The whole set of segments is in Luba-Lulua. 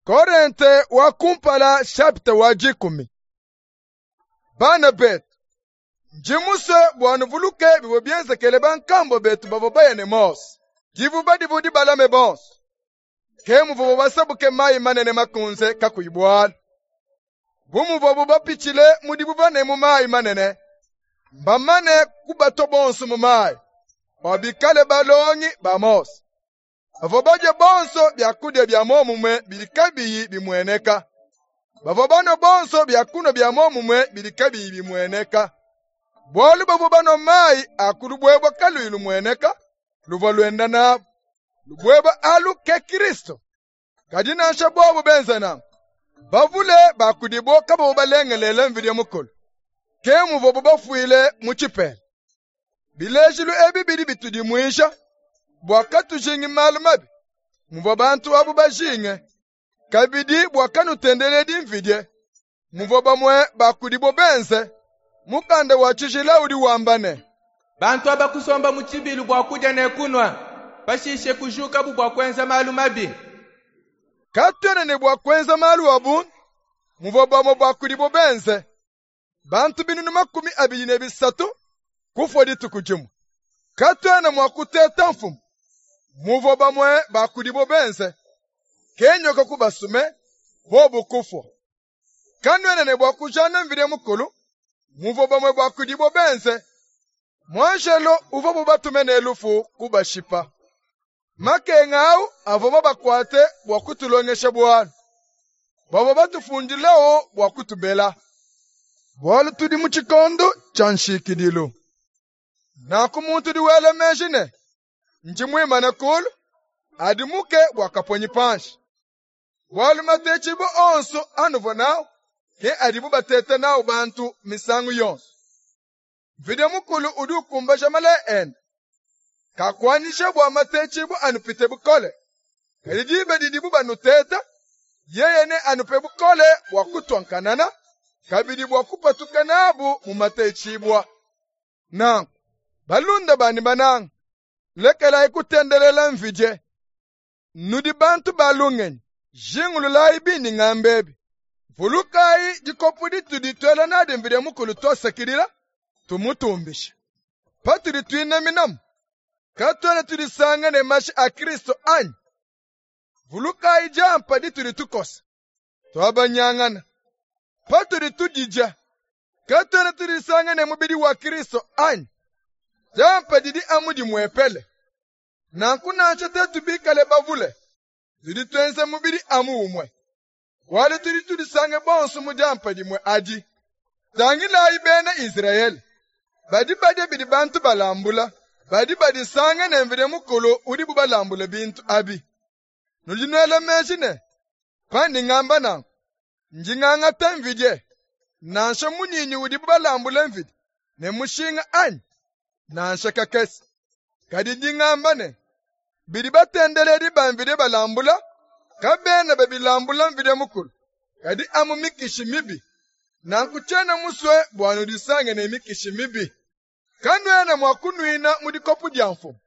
Korente wa kumpala shapita wa dikumi. Bana betu, ndi musue bua nuvuluke bivua bienzekele bankambua betu bavua baya ne Mose. Divuba divua dibalame bonso. Ke muvuabu basabuke mayi manene makunze kakuyi bualu. Bu muvuabu bapitshile mu divuba ne mu mayi manene, mbamane kubatua bonso mu mayi, bua bikale balongi ba Mose. Bavua badia bonso biakudia bia muomumue bidi kabiyi bimueneka. Bavua banua bonso biakunua bia muomumue bidi kabiyi bimueneka. Bualu bavua banua mayi a ku lubuebue kaluyi lumueneka luvua luenda nabu. Lubuebue alu ke Kristo. Kadi nansha bobu benze nanku, bavule ba kudibo kabavua balengelele Mvidie Mukulu. Ke muvuabu bafuile mu tshipela. Bilejilu ebi bidi bitudimuija bua katujingi malu mabi muvua bantu abu bajinge, kabidi bua kanutendeledi mvidie muvua bamue ba kudibo benze. Mukanda wa tshijila udi wamba ne, Bantu aba kusomba mu tshibilu bua kudia ne kunua, pashishe kujukabu bua kuenza malu mabi. Katuena ne bua kuenza malu a bundu muvua bamue ba kudibo benze. Bantu 2300 kufua dituku dimue. Katuena mua kuteta mfumu muvua bamue ba kudibo benze. Ke nyoka kubasume, bobu kufua. Kanuena ne bua kujana Mvidie Mukulu muvua bamue ba kudibo benze. Muanjelo uvuabu batume ne lufu kubashipa. Makenga au avua mabakuate bua kutulongesha bualu. Bavua batufundilewo bua kutubela. Bualu tudi mu tshikondo tshia nshikidilu. Nanku muntu udi wela meji ne, ndi muimane kulu, adimuke bua kaponyi panshi. Bualu matetshibua onso anuvua nawu ke adibu bateta nawu bantu misangu yonso. Mvidie Mukulu udi ukumbaja malaya ende. Kakuanyisha bua matetshibua anupite bukole. Kadi diba didibu banuteta, yeye neanupe bukole bua kutua nkanana, kabidi bua kupatuka nabu mu matetshibua. Nanku, balunda banyi bananga, lekelayi kutendelela mvidie. Nudi bantu ba lungenyi, jingululayi bindi ngamba ebi. Vulukayi dikopu ditudi tuela nadi Mvidie Mukulu tuasakidila, tumutumbisha. Patudi tuinaminamu, katuena tudisanga ne mashi a Kristo anyi? Vulukayi diampa ditudi tukosa, tuabanyangana. Patudi tudidia, katuena tudisanga ne mubidi wa Kristo anyi? Diampa didi amu dimuepele. Nanku nansha tuetu bikale bavule, tudi tuenza mubidi amu umue, bualu tudi tudisange bonso mu diampa dimue adi. Tangilayi bena Izrayele, badi badia bidi bantu balambula, badi badisanga ne Mvidie Mukulu udibu balambule bintu abi. Nudi nuela meji ne, pandi ngamba nanku, ndi ngangata mvidie, nansha munyinyi udibu balambule mvidie, ne mushinga anyi? Nansha kakese. Kadi ndi ngamba ne, bidi batendeledi ba mvidie balambula, kabena babilambula Mvidie Mukulu, kadi amu mikishi mibi. Nanku tshiena musue bua nudisange ne mikishi mibi. Kanuena mua kunuina mu dikopu dia mfumu,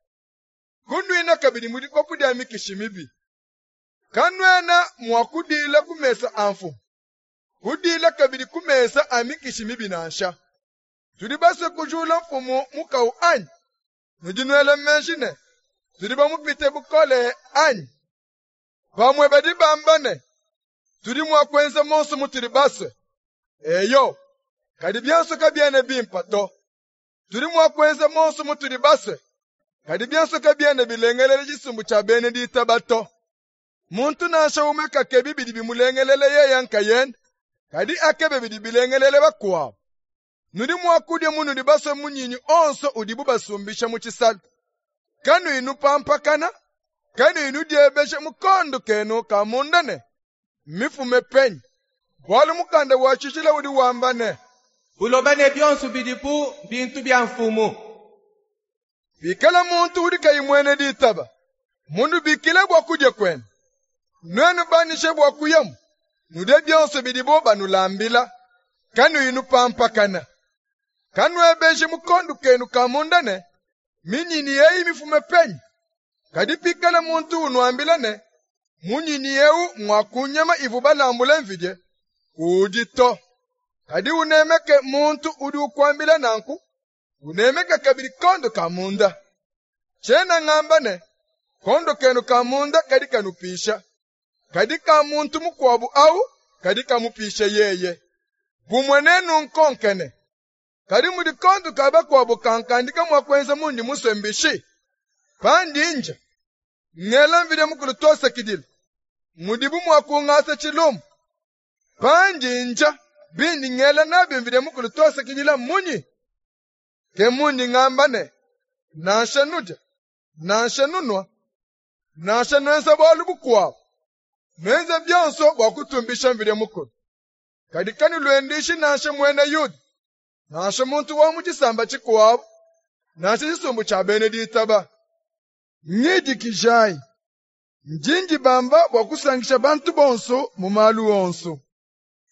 kunuina kabidi mu dikopu dia mikishi mibi. Kanuena mua kudiila ku mesa a mfumu, kudiila kabidi ku mesa a mikishi mibi nansha. Tudi basue kujula mfumu mukawu anyi? Nudi nuela meji ne, tudi bamupite bukole anyi? Bamue badi bamba ne, tudi mua kuenza monso mutudi basue. Eyo, kadi bionso kabiena bimpe to. Tudi mua kuenza monso mutudi basue, kadi bionso kabiena bilengelela tshisumbu tshia bena ditaba to. Muntu nansha umue kakebi bidi bimulengelele yeye nkayende, kadi akebe bidi bilengelele bakuabu. Nudi mua kudia munudi basue munyinyi onso udibu basumbisha mu tshisalu, kanuyi nupampakana, kanuyi nudiebeja mu kondo kenu ka munda ne, mmifume penyi? Bualu mukanda wa tshijila udi wamba ne, Buloba ne bionso bidipu mbintu bia Mfumu. Pikala muntu udi kayi muena ditaba munubikile bua kudia kuenu, nuenu banyishe bua kuyamu, nudie bionso bidibo banulambila, kanuyi nupampakana. Kanuebeji mu kondo kenu ka munda ne, minyinyi eyi mifume penyi? Kadi pikala muntu unuambila ne, Munyinyi eu ngwa ku nyama ivua balambule mvidie, kuudi to. Kadi unemeke muntu udi ukuambila nanku, unemeke kabidi kondo ka munda. Tshiena ngamba ne, kondo kenu ka munda kadi kanupisha, kadi ka muntu mukuabu au kadi kamupisha yeye. Bumue nenunkonke ne, kadi mudi kondo ka bakuabu kankandika mua kuenza mundi musue mbishi? Pandi ndya, ngela Mvidi Mukulu tuasakidila, mudibu mua kungasa tshilumbu. Pandi ndya bindi ngela nabi Mvidi Mukulu tuasakidila mmunyi? Ke mundi ngamba ne, nansha nudia, nansha nunua, nansha nuenza bualu bukuabu, nuenze bionso bua kutumbisha Mvidi Mukulu. Kadi kanuluenduishi nansha muena Yuda, nansha muntu wa mu tshisamba tshikuabu, nansha tshisumbu tshia bena ditaba. Ngidikijayi, ndi ndibamba bua kusankisha bantu bonso mu malu onso.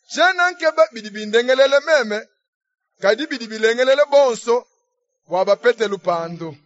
Tshiena nkeba bidi bindengelela meme, kadi bidi bilengelela bonso bua bapete lupandu.